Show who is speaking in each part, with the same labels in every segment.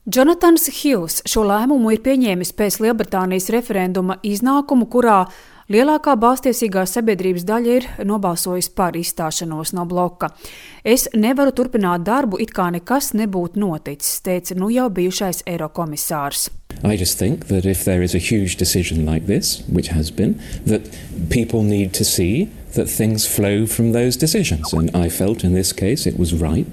Speaker 1: Jonatans Hills šo lēmumu ir pieņēmis pēc Lielbritānijas referenduma iznākumu, kurā lielākā balstiesīgā sabiedrības daļa ir nobalsojusi par izstāšanos no bloka. Es nevaru turpināt darbu, it kā nekas nebūtu noticis, teica jau bijušais Eirokomisārs.
Speaker 2: I just think that if there is a huge decision like this, which has been, that people need to see that things flow from those decisions. And I felt in this case it was right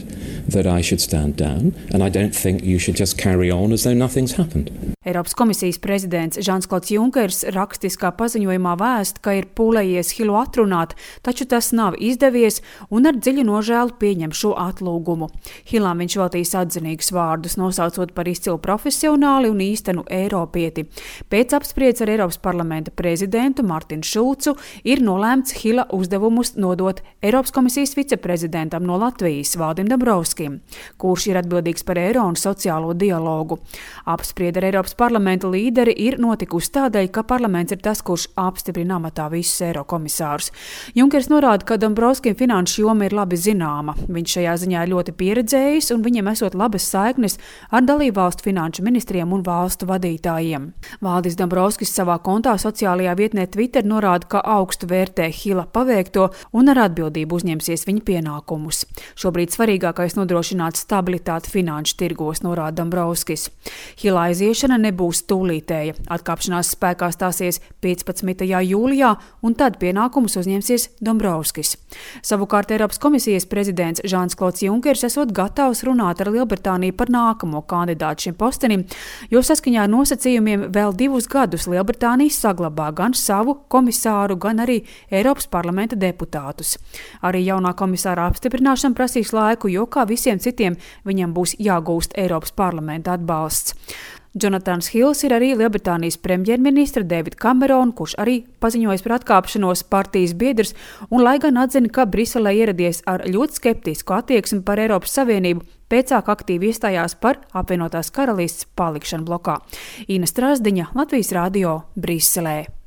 Speaker 2: that I should stand down, and I don't think you should just carry on as though nothing's happened.
Speaker 1: Eiropas komisijas prezidents Žans-Klods Junkers rakstiskā paziņojumā vēst, ka ir pūlējies Hillu atrunāt, taču tas nav izdevies un ar dziļu nožēlu pieņem šo atlūgumu. Hillam viņš veltīs atzinīgus vārdus, nosaucot par izcilu profesionāli un īstenu eiropieti. Pēc apspriedes ar Eiropas parlamenta prezidentu Martinu Šulcu ir nolēmts Hilla uzdevumus nodot Eiropas komisijas viceprezidentam no Latvijas Valdim Dombrovskim, kurš ir atbildīgs par eiro un sociālo dialogu. Apspriede ar Eiropas parlamenta līderi ir notikusi tādēļ, ka parlaments ir tas, kurš apstiprina amatā visus Eirokomisārus. Junkers norāda, ka Dombrovskim finanšu joma ir labi zināma. Viņš šajā ziņā ir ļoti pieredzējis un viņam esot labas saiknes ar dalībvalstu finanšu ministriem un valstu vadītājiem. Valdis Dombrovskis savā kontā sociālajā vietnē Twitter norāda, ka augstu vērtē Hilla paveikto un ar atbildību uzņemsies viņa pienākumus. Šobrīd svarīgākais nodrošināt stabilitāti finanšu tirgos, norāda Dombrovskis. Hilla aiziešana nebūs tūlītēja. Atkāpšanās spēkā stāsies 15. jūlijā, un tad pienākumus uzņemsies Dombrovskis. Savukārt Eiropas komisijas prezidents Žans-Klods Junkers esot gatavs runāt ar Lielbritāniju par nākamo kandidātu šim postenim, jo saskaņā ar nosacījumiem vēl 2 gadus Lielbritānija saglabā gan savu komisāru, gan arī Eiropas parlamenta deputātus. Arī jaunā komisāra apstiprināšana prasīs laiku, jo kā visiem citiem viņam būs jāgūst Eiropas parlamenta atbalsts. Jonatans Hills ir arī Lielbritānijas premjerministra Davida Camerona, kurš arī paziņojis par atkāpšanos, partijas biedrs, un lai gan atzina, ka Briselē ieradies ar ļoti skeptisku attieksmi par Eiropas Savienību, pēcāk aktīvi iestājās par apvienotās karalists palikšanu blokā. Ina Strasdiņa, Latvijas radio, Briselē.